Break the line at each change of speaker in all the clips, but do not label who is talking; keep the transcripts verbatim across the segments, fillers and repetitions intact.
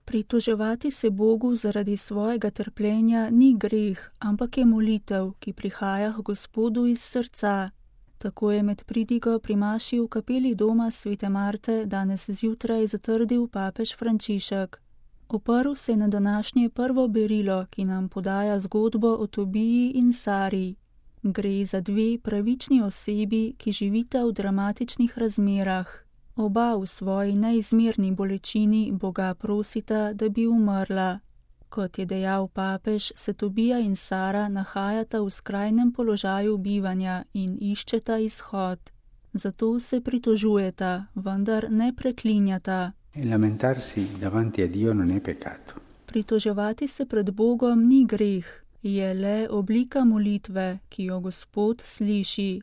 Pritoževati se Bogu zaradi svojega trpljenja ni greh, ampak je molitev, ki prihaja k Gospodu iz srca. Tako je med pridigo pri maši v kapeli doma svete Marte danes zjutraj zatrdil papež Frančišek. Oprl se je na današnje prvo berilo, ki nam podaja zgodbo o Tobiji in Sari. Gre za dve pravični osebi, ki živita v dramatičnih razmerah. Oba v svoji neizmerni bolečini Boga prosita, da bi umrla. Kot je dejal papež, se Tobija in Sara nahajata v skrajnem položaju bivanja in iščeta izhod. Zato se pritožujeta, vendar ne preklinjata.
Lamentarsi davanti a Dio non è peccato.
Pritoževati se pred Bogom ni greh, je le oblika molitve, ki jo Gospod sliši.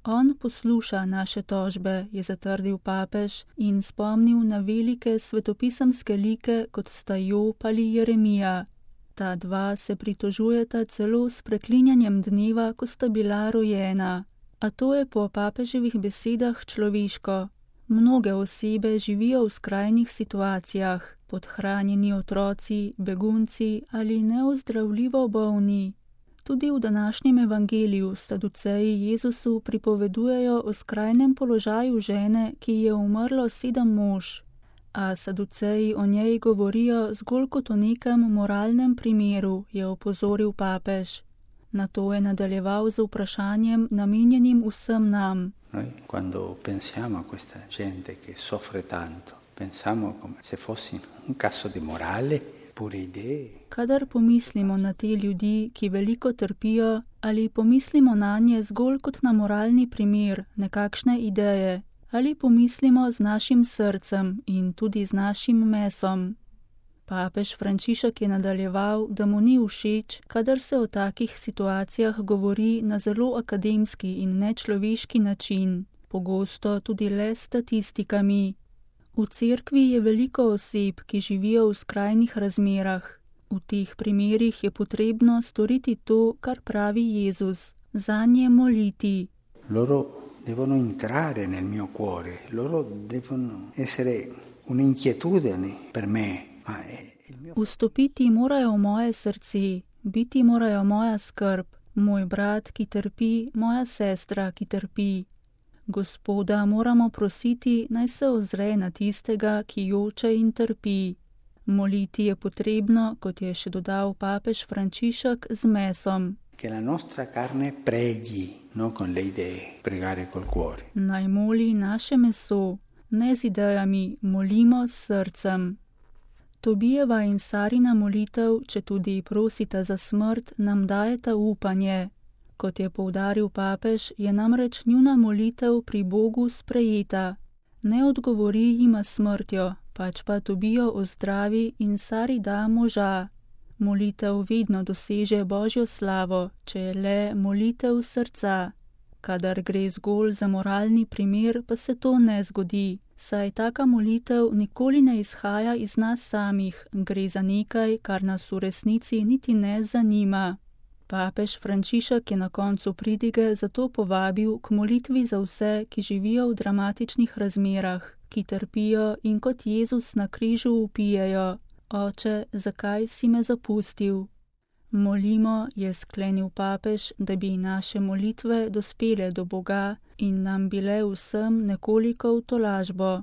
On posluša naše tožbe, je zatrdil papež in spomnil na velike svetopisemske like, kot sta Job ali Jeremija. Ta dva se pritožujeta celo s preklinjanjem dneva, ko sta bila rojena. A to je po papeževih besedah človeško. Mnoge osebe živijo v skrajnih situacijah, podhranjeni otroci, begunci ali neozdravljivo bolni. Tudi v današnjem evangeliju saduceji Jezusu pripovedujejo o skrajnem položaju žene, ki je umrlo sedem mož, a saduceji o njej govorijo zgolj kot o nekem moralnem primeru, je opozoril papež. Nato je nadaljeval z vprašanjem namenjenim vsem nam.
Noi quando pensiamo a questa gente che soffre tanto, pensiamo come se fosse un caso di morale, pure idee.
Kadar pomislimo na te ljudi, ki veliko trpijo, ali pomislimo nanje zgolj kot na moralni primer, nekakšne ideje, ali pomislimo z našim srcem in tudi z našim mesom. Papež Frančišek je nadaljeval, da mu ni všeč, kadar se o takih situacijah govori na zelo akademski in nečloveški način, pogosto tudi le s statistikami. V cerkvi je veliko oseb, ki živijo v skrajnih razmerah. V teh primerih je potrebno storiti to, kar pravi Jezus, zanje moliti.
Loro devono entrare nel mio cuore, loro devono essere un'inquietudine per me.
Vstopiti morajo v moje srce, biti morajo moja skrb, moj brat, ki trpi, moja sestra, ki trpi. Gospoda moramo prositi, naj se ozre na tistega, ki joče in trpi. Moliti je potrebno, kot je še dodal papež Frančišek, z mesom.
Che la nostra carne preghi, non con le idee, pregare col cuore.
Naj moli naše meso, ne z idejami, molimo s srcem. Tobijeva in Sarina molitev, če tudi prosita za smrt, nam dajeta upanje. Kot je poudaril papež, je namreč njuna molitev pri Bogu sprejeta. Ne odgovori jima smrtjo, pač pa Tobijo ozdravi in Sari da moža. Molitev vedno doseže Božjo slavo, če je le molitev srca. Kadar gre zgolj za moralni primer, pa se to ne zgodi, saj taka molitev nikoli ne izhaja iz nas samih, gre za nekaj, kar nas v resnici niti ne zanima. Papež Frančišek je na koncu pridige zato povabil k molitvi za vse, ki živijo v dramatičnih razmerah, ki trpijo in kot Jezus na križu vpijejo: Oče, zakaj si me zapustil? Molimo, je sklenil papež, da bi naše molitve dospele do Boga in nam bile vsem nekoliko v tolažbo.